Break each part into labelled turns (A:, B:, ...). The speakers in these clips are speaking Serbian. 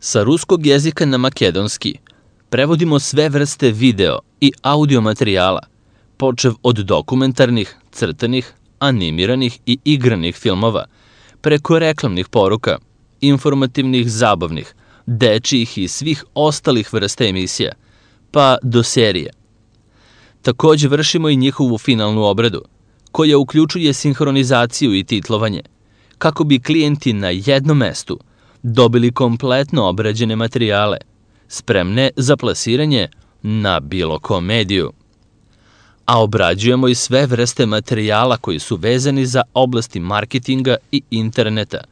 A: Sa ruskog jezika na makedonski prevodimo sve vrste video i audio materijala, počev od dokumentarnih, crtanih, animiranih i igranih filmova, preko reklamnih poruka, informativnih, zabavnih, dečijih i svih ostalih vrsta emisija, pa do serije. Takođe vršimo i njihovu finalnu obradu, koja uključuje sinhronizaciju i titlovanje, kako bi klijenti na jednom mestu dobili kompletno obrađene materijale, spremne za plasiranje na bilo kom mediju. A obrađujemo i sve vrste materijala koji su vezani za oblasti marketinga i interneta,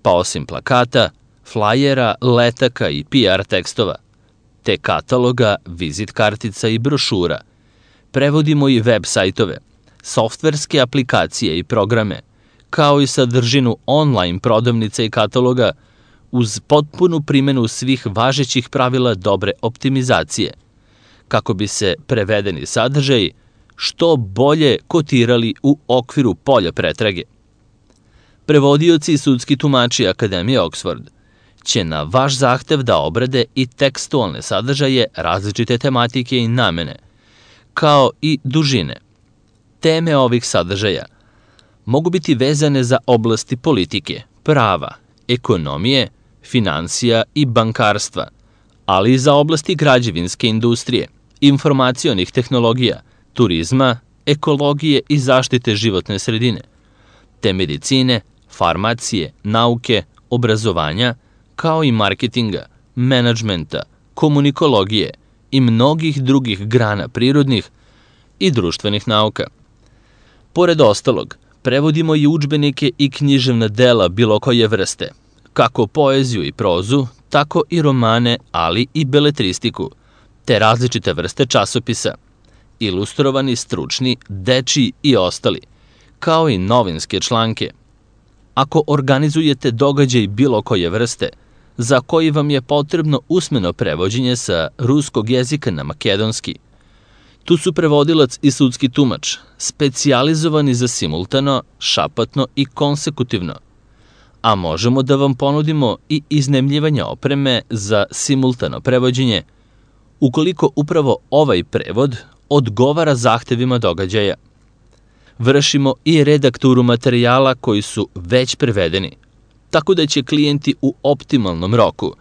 A: pa osim plakata, flajera, letaka i PR tekstova, te kataloga, vizit kartica i brošura, prevodimo i web sajtove, softverske aplikacije i programe, kao i sadržinu online prodavnica i kataloga, uz potpunu primenu svih važećih pravila dobre optimizacije, kako bi se prevedeni sadržaji što bolje kotirali u okviru polja pretrage. Prevodioci i sudski tumači Akademije Oxford će na vaš zahtev da obrade i tekstualne sadržaje različite tematike i namene, kao i dužine. Teme ovih sadržaja mogu biti vezane za oblasti politike, prava, ekonomije, finansija i bankarstva, ali i za oblasti građevinske industrije, informacionih tehnologija, turizma, ekologije i zaštite životne sredine, te medicine, farmacije, nauke, obrazovanja, kao i marketinga, menadžmenta, komunikologije i mnogih drugih grana prirodnih i društvenih nauka. Pored ostalog, prevodimo i udžbenike i književna dela bilo koje vrste, kako poeziju i prozu, tako i romane, ali i beletristiku, te različite vrste časopisa, ilustrovani, stručni, dečiji i ostali, kao i novinske članke. Ako organizujete događaj bilo koje vrste, za koji vam je potrebno usmeno prevođenje sa ruskog jezika na makedonski, tu su prevodilac i sudski tumač, specijalizovani za simultano, šapatno i konsekutivno, a možemo da vam ponudimo i iznajmljivanje opreme za simultano prevođenje, ukoliko upravo ovaj prevod odgovara zahtevima događaja. Vršimo i redakturu materijala koji su već prevedeni, tako da će klijenti u optimalnom roku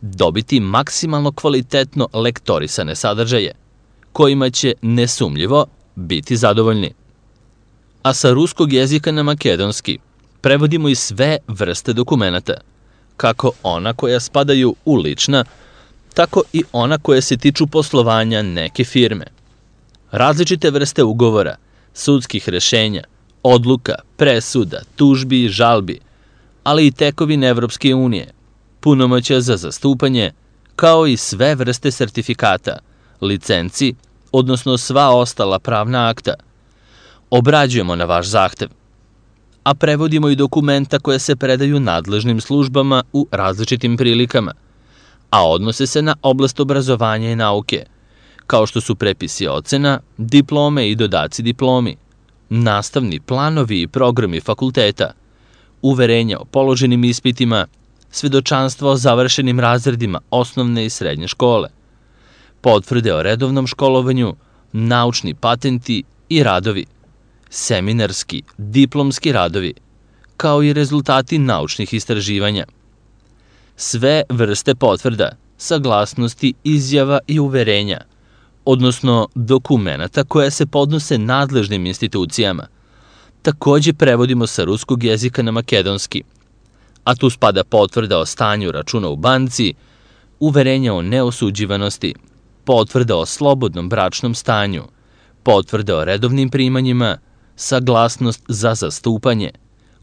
A: dobiti maksimalno kvalitetno lektorisane sadržaje, kojima će nesumljivo biti zadovoljni. A sa ruskog jezika na makedonski prevodimo i sve vrste dokumenata, kako ona koja spadaju u lična, tako i ona koja se tiču poslovanja neke firme. Različite vrste ugovora, sudskih rešenja, odluka, presuda, tužbi i žalbi, ali i tekovine Evropske unije, punomoćja za zastupanje, kao i sve vrste sertifikata, licenci, odnosno sva ostala pravna akta, obrađujemo na vaš zahtev, a prevodimo i dokumenta koje se predaju nadležnim službama u različitim prilikama, a odnose se na oblast obrazovanja i nauke, kao što su prepisi ocena, diplome i dodaci diplomi, nastavni planovi i programi fakulteta, uverenja o položenim ispitima, svedočanstva o završenim razredima osnovne i srednje škole, potvrde o redovnom školovanju, naučni patenti i radovi, seminarski, diplomski radovi, kao i rezultati naučnih istraživanja. Sve vrste potvrda, saglasnosti, izjava i uverenja, odnosno dokumenata koja se podnose nadležnim institucijama, takođe prevodimo sa ruskog jezika na makedonski, a tu spada potvrda o stanju računa u banci, uverenja o neosuđivanosti, potvrda o slobodnom bračnom stanju, potvrda o redovnim primanjima, saglasnost za zastupanje,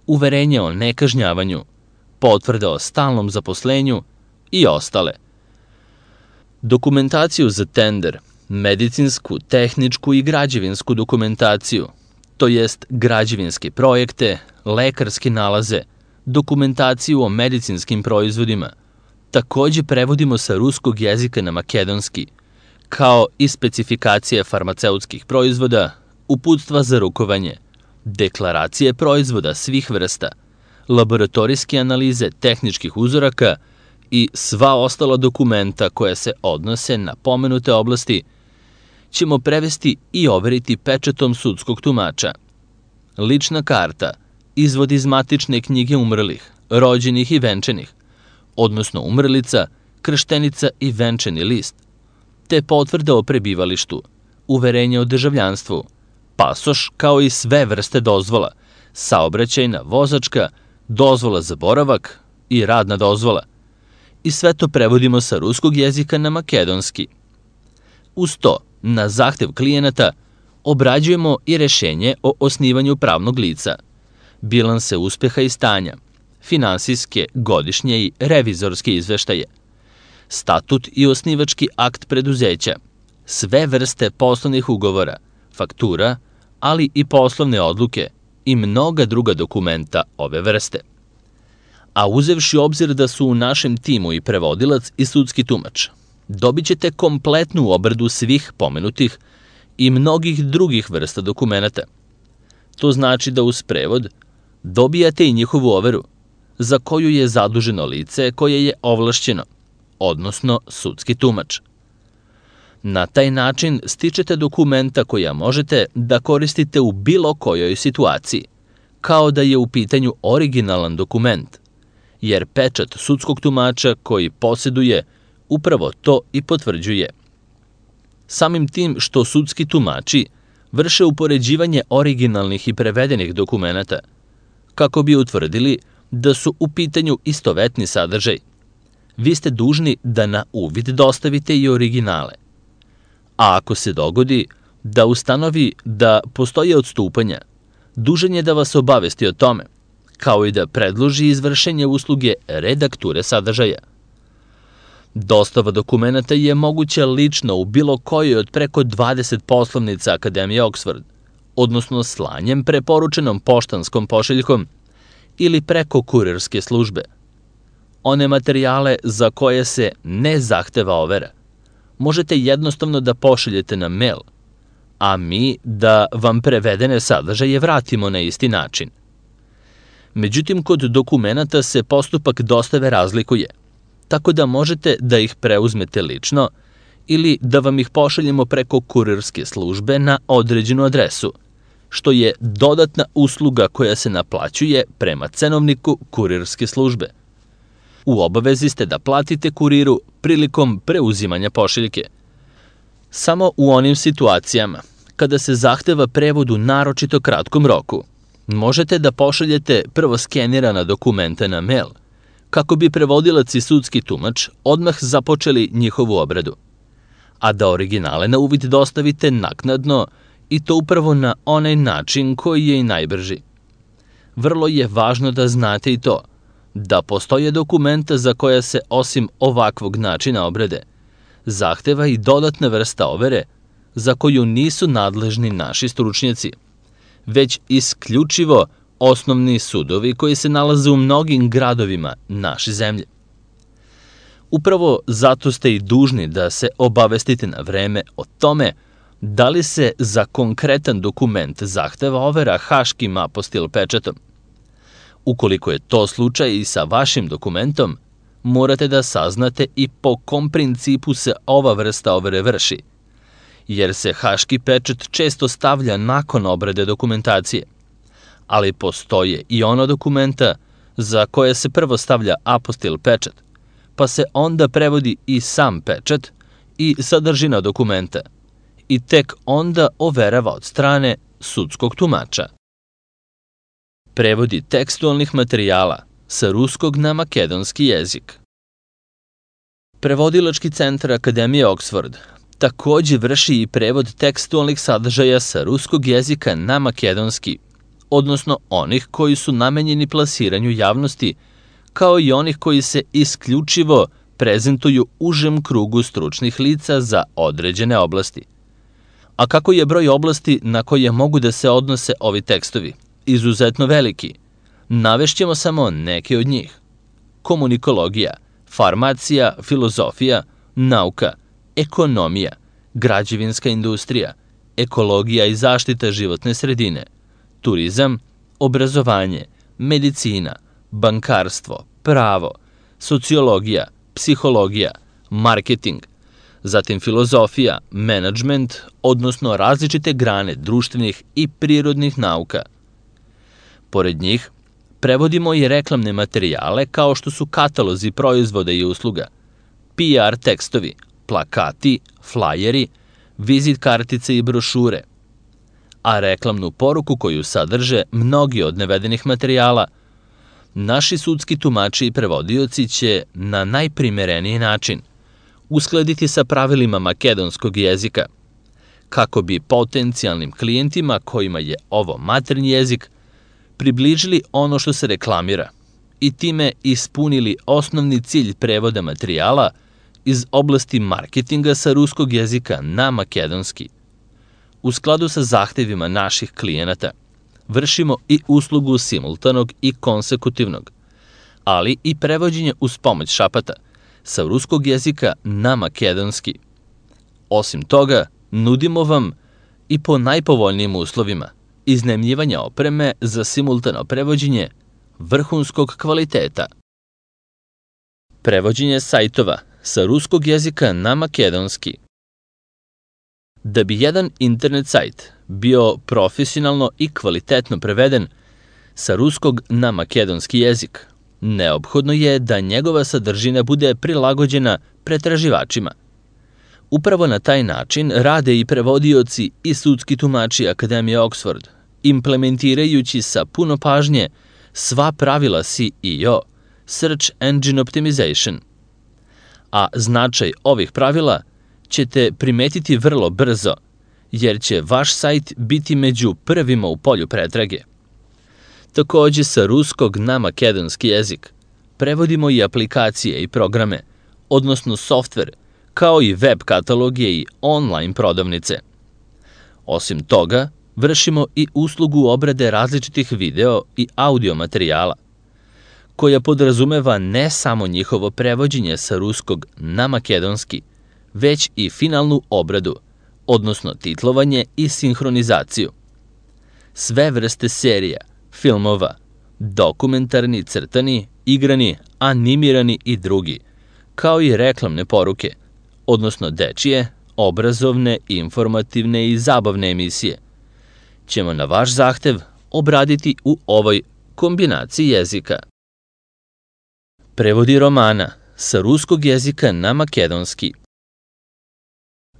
A: uverenje o nekažnjavanju, potvrda o stalnom zaposlenju i ostale. Dokumentaciju za tender, medicinsku, tehničku i građevinsku dokumentaciju, to jest građevinske projekte, lekarske nalaze, dokumentaciju o medicinskim proizvodima, takođe prevodimo sa ruskog jezika na makedonski, kao i specifikacije farmaceutskih proizvoda, uputstva za rukovanje, deklaracije proizvoda svih vrsta, laboratorijske analize tehničkih uzoraka i sva ostala dokumenta koja se odnose na pomenute oblasti ćemo prevesti i overiti pečatom sudskog tumača. Lična karta, izvod iz matične knjige umrlih, rođenih i venčanih, odnosno umrlica, krštenica i venčani list, te potvrda o prebivalištu, uverenje o državljanstvu, pasoš kao i sve vrste dozvola, saobraćajna, vozačka, dozvola za boravak i radna dozvola. I sve to prevodimo sa ruskog jezika na makedonski. Uz to, na zahtev klijenata, obrađujemo i rešenje o osnivanju pravnog lica, bilanse uspeha i stanja, finansijske, godišnje i revizorske izveštaje, statut i osnivački akt preduzeća, sve vrste poslovnih ugovora, faktura, ali i poslovne odluke i mnoga druga dokumenta ove vrste. A uzevši obzir da su u našem timu i prevodilac i sudski tumač, dobit ćete kompletnu obradu svih pomenutih i mnogih drugih vrsta dokumenta. To znači da uz prevod dobijate i njihovu overu, za koju je zaduženo lice koje je ovlašćeno, odnosno sudski tumač. Na taj način stičete dokumenta koja možete da koristite u bilo kojoj situaciji, kao da je u pitanju originalan dokument, jer pečat sudskog tumača koji posjeduje upravo to i potvrđuje. Samim tim što sudski tumači vrše upoređivanje originalnih i prevedenih dokumenata, kako bi utvrdili da su u pitanju istovetni sadržaj, vi ste dužni da na uvid dostavite i originale. A ako se dogodi da ustanovi da postoje odstupanja, dužan je da vas obavesti o tome, kao i da predloži izvršenje usluge redakture sadržaja. Dostava dokumenta je moguća lično u bilo kojoj od preko 20 poslovnica Akademije Oxford, odnosno slanjem preporučenom poštanskom pošiljkom ili preko kurirske službe. One materijale za koje se ne zahteva overa možete jednostavno da pošaljete na mail, a mi da vam prevedene sadržaje vratimo na isti način. Međutim, kod dokumenata se postupak dostave razlikuje, tako da možete da ih preuzmete lično ili da vam ih pošaljemo preko kurirske službe na određenu adresu, što je dodatna usluga koja se naplaćuje prema cenovniku kurirske službe. U obavezi ste da platite kuriru prilikom preuzimanja pošiljke. Samo u onim situacijama kada se zahteva prevod u naročito kratkom roku, možete da pošaljete prvo skenirana dokumenta na mail, kako bi prevodilac i sudski tumač odmah započeli njihovu obradu, a da originale na uvid dostavite naknadno i to upravo na onaj način koji je i najbrži. Vrlo je važno da znate i to, da postoje dokumenta za koja se osim ovakvog načina obrade zahteva i dodatna vrsta overe za koju nisu nadležni naši stručnjaci, već isključivo osnovni sudovi koji se nalaze u mnogim gradovima naše zemlje. Upravo zato ste i dužni da se obavestite na vreme o tome da li se za konkretan dokument zahteva overa haškim apostil pečatom. Ukoliko je to slučaj i sa vašim dokumentom, morate da saznate i po kom principu se ova vrsta overe vrši, jer se haški pečat često stavlja nakon obrade dokumentacije, ali postoje i ona dokumenta za koje se prvo stavlja apostil pečat, pa se onda prevodi i sam pečat i sadržina dokumenta i tek onda overava od strane sudskog tumača. Prevodi tekstualnih materijala sa ruskog na makedonski jezik. Prevodilački centar Akademije Oxford takođe vrši i prevod tekstualnih sadržaja sa ruskog jezika na makedonski, odnosno onih koji su namenjeni plasiranju javnosti, kao i onih koji se isključivo prezentuju užem krugu stručnih lica za određene oblasti. A kako je broj oblasti na koje mogu da se odnose ovi tekstovi izuzetno veliki, navešćemo samo neke od njih. Komunikologija, farmacija, filozofija, nauka, ekonomija, građevinska industrija, ekologija i zaštita životne sredine, turizam, obrazovanje, medicina, bankarstvo, pravo, sociologija, psihologija, marketing, zatim filozofija, menadžment, odnosno različite grane društvenih i prirodnih nauka. Pored njih, prevodimo i reklamne materijale kao što su katalozi proizvoda i usluga, PR tekstovi, plakati, flajeri, vizit kartice i brošure, a reklamnu poruku koju sadrže mnogi od navedenih materijala, naši sudski tumači i prevodioci će na najprimereniji način uskladiti sa pravilima makedonskog jezika, kako bi potencijalnim klijentima kojima je ovo maternji jezik približili ono što se reklamira i time ispunili osnovni cilj prevoda materijala iz oblasti marketinga sa ruskog jezika na makedonski. U skladu sa zahtevima naših klijenata, vršimo i uslugu simultanog i konsekutivnog, ali i prevođenje uz pomoć šapata sa ruskog jezika na makedonski. Osim toga, nudimo vam i po najpovoljnijim uslovima iznajmljivanja opreme za simultano prevođenje vrhunskog kvaliteta. Prevođenje sajtova sa ruskog jezika na makedonski. Da bi jedan internet sajt bio profesionalno i kvalitetno preveden sa ruskog na makedonski jezik, neophodno je da njegova sadržina bude prilagođena pretraživačima. Upravo na taj način rade i prevodioci i sudski tumači Akademije Oxford, implementirajući sa puno pažnje sva pravila SEO, Search Engine Optimization. A značaj ovih pravila ćete primetiti vrlo brzo, jer će vaš sajt biti među prvima u polju pretrage. Takođe, sa ruskog na makedonski jezik prevodimo i aplikacije i programe, odnosno softver, kao i web kataloge i online prodavnice. Osim toga, vršimo i uslugu obrade različitih video i audio materijala, koja podrazumeva ne samo njihovo prevođenje sa ruskog na makedonski, već i finalnu obradu, odnosno titlovanje i sinhronizaciju. Sve vrste serija, filmova, dokumentarni, crtani, igrani, animirani i drugi, kao i reklamne poruke, odnosno dečije, obrazovne, informativne i zabavne emisije, ćemo na vaš zahtev obraditi u ovoj kombinaciji jezika. Prevodi romana sa ruskog jezika na makedonski.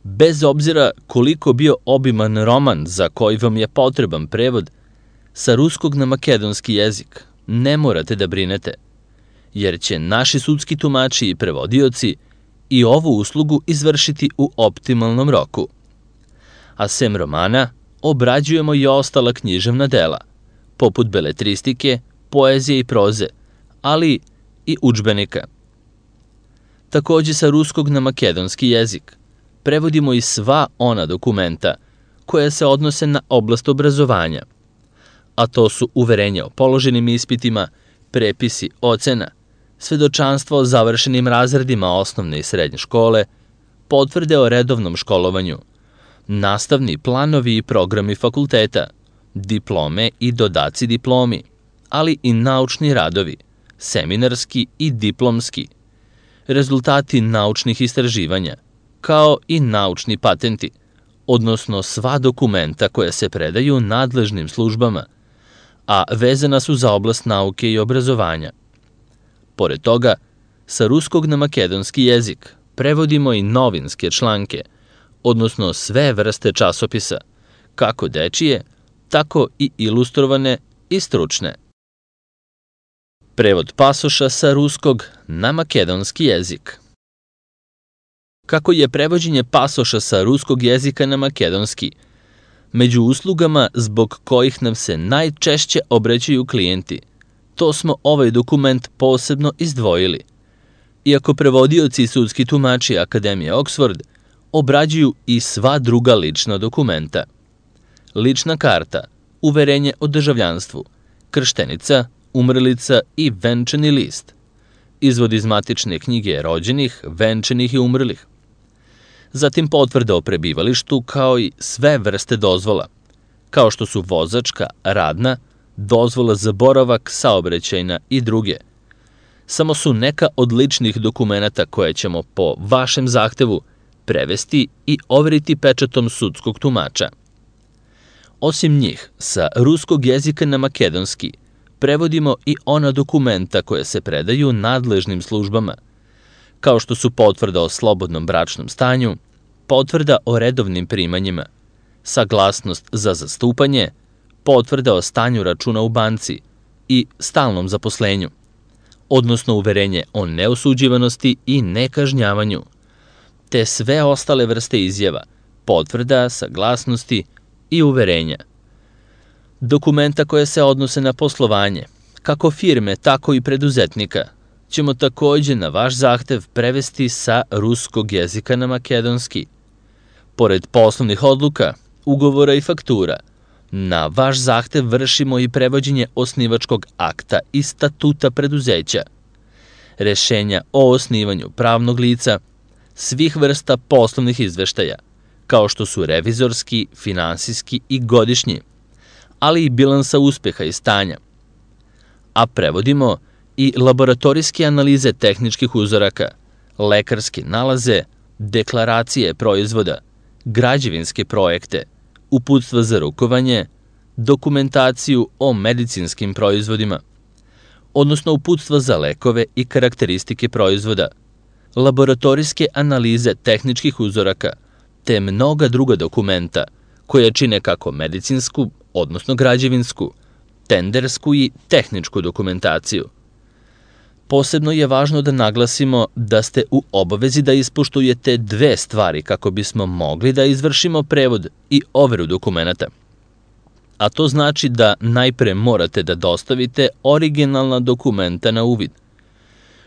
A: Bez obzira koliko bio obiman roman za koji vam je potreban prevod, sa ruskog na makedonski jezik ne morate da brinete, jer će naši sudski tumači i prevodioci i ovu uslugu izvršiti u optimalnom roku. A sem romana, obrađujemo i ostala književna dela, poput beletristike, poezije i proze, ali i udžbenika. Takođe, sa ruskog na makedonski jezik prevodimo i sva ona dokumenta koja se odnose na oblast obrazovanja, a to su uverenja o položenim ispitima, prepisi ocena, svedočanstvo o završenim razredima osnovne i srednje škole, potvrde o redovnom školovanju, nastavni planovi i programi fakulteta, diplome i dodaci diplomi, ali i naučni radovi, seminarski i diplomski, rezultati naučnih istraživanja, kao i naučni patenti, odnosno sva dokumenta koja se predaju nadležnim službama, a vezana su za oblast nauke i obrazovanja. Pored toga, sa ruskog na makedonski jezik prevodimo i novinske članke, odnosno sve vrste časopisa, kako dečije, tako i ilustrovane i stručne. Prevod pasoša sa ruskog na makedonski jezik. Kako je prevođenje pasoša sa ruskog jezika na makedonski među uslugama zbog kojih nam se najčešće obraćaju klijenti, to smo ovaj dokument posebno izdvojili. Iako prevodioci i sudski tumači Akademije Oxford obrađuju i sva druga lična dokumenta. Lična karta, uverenje o državljanstvu, krštenica, umrlica i venčani list, izvod iz matične knjige rođenih, venčanih i umrlih, zatim potvrda o prebivalištu kao i sve vrste dozvola, kao što su vozačka, radna, dozvola za boravak, saobraćajna i druge, samo su neka od ličnih dokumenata koje ćemo po vašem zahtevu prevesti i overiti pečatom sudskog tumača. Osim njih, sa ruskog jezika na makedonski prevodimo i ona dokumenta koja se predaju nadležnim službama, kao što su potvrda o slobodnom bračnom stanju, potvrda o redovnim primanjima, saglasnost za zastupanje, potvrda o stanju računa u banci i stalnom zaposlenju, odnosno uverenje o neosuđivanosti i nekažnjavanju, te sve ostale vrste izjava, potvrda, saglasnosti i uverenja. Dokumenta koje se odnose na poslovanje, kako firme, tako i preduzetnika, ćemo takođe na vaš zahtev prevesti sa ruskog jezika na makedonski. Pored poslovnih odluka, ugovora i faktura, na vaš zahtev vršimo i prevođenje osnivačkog akta i statuta preduzeća, rešenja o osnivanju pravnog lica, svih vrsta poslovnih izveštaja, kao što su revizorski, finansijski i godišnji, ali i bilansa uspeha i stanja. A prevodimo i laboratorijske analize tehničkih uzoraka, lekarske nalaze, deklaracije proizvoda, građevinske projekte, uputstva za rukovanje, dokumentaciju o medicinskim proizvodima, odnosno uputstva za lekove i karakteristike proizvoda, laboratorijske analize tehničkih uzoraka, te mnoga druga dokumenta koje čine kako medicinsku, odnosno građevinsku, tendersku i tehničku dokumentaciju. Posebno je važno da naglasimo da ste u obavezi da ispoštujete dve stvari kako bismo mogli da izvršimo prevod i overu dokumenata. A to znači da najpre morate da dostavite originalna dokumenta na uvid,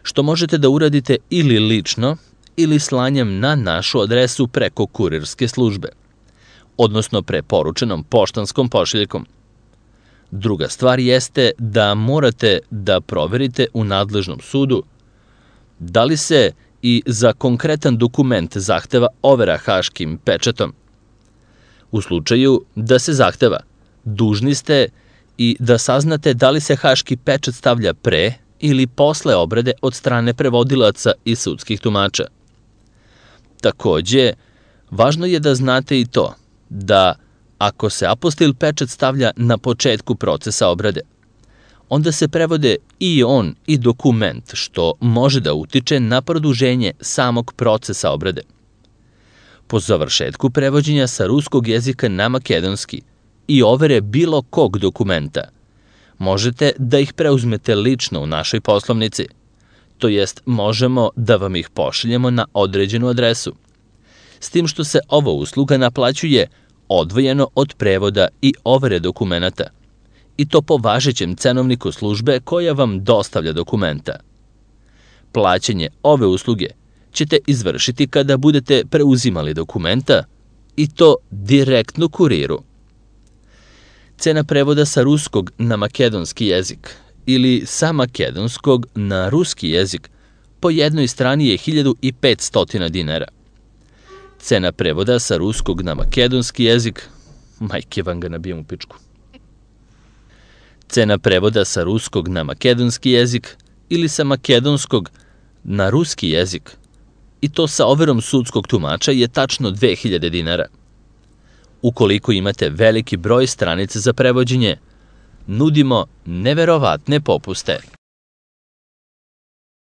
A: što možete da uradite ili lično ili slanjem na našu adresu preko kurirske službe, odnosno preporučenom poštanskom pošiljkom. Druga stvar jeste da morate da proverite u nadležnom sudu da li se i za konkretan dokument zahteva overa haškim pečatom. U slučaju da se zahteva, dužni ste i da saznate da li se haški pečat stavlja pre ili posle obrade od strane prevodilaca i sudskih tumača. Takođe, važno je da znate i to da ako se apostil pečat stavlja na početku procesa obrade, onda se prevode i on i dokument, što može da utiče na produženje samog procesa obrade. Po završetku prevođenja sa ruskog jezika na makedonski i overe bilo kog dokumenta, možete da ih preuzmete lično u našoj poslovnici, to jest možemo da vam ih pošaljemo na određenu adresu, s tim što se ova usluga naplaćuje odvojeno od prevoda i overe dokumenata, i to po važećem cenovniku službe koja vam dostavlja dokumenta. Plaćanje ove usluge ćete izvršiti kada budete preuzimali dokumenta i to direktno kuriru. Cena prevoda sa ruskog na makedonski jezik ili sa makedonskog na ruski jezik po jednoj strani je 1500 dinara. Cena prevoda sa ruskog na makedonski jezik, majke vam ga nabijem u pičku. Cena prevoda sa ruskog na makedonski jezik ili sa makedonskog na ruski jezik, i to sa overom sudskog tumača, je tačno 2000 dinara. Ukoliko imate veliki broj stranica za prevođenje, nudimo neverovatne popuste.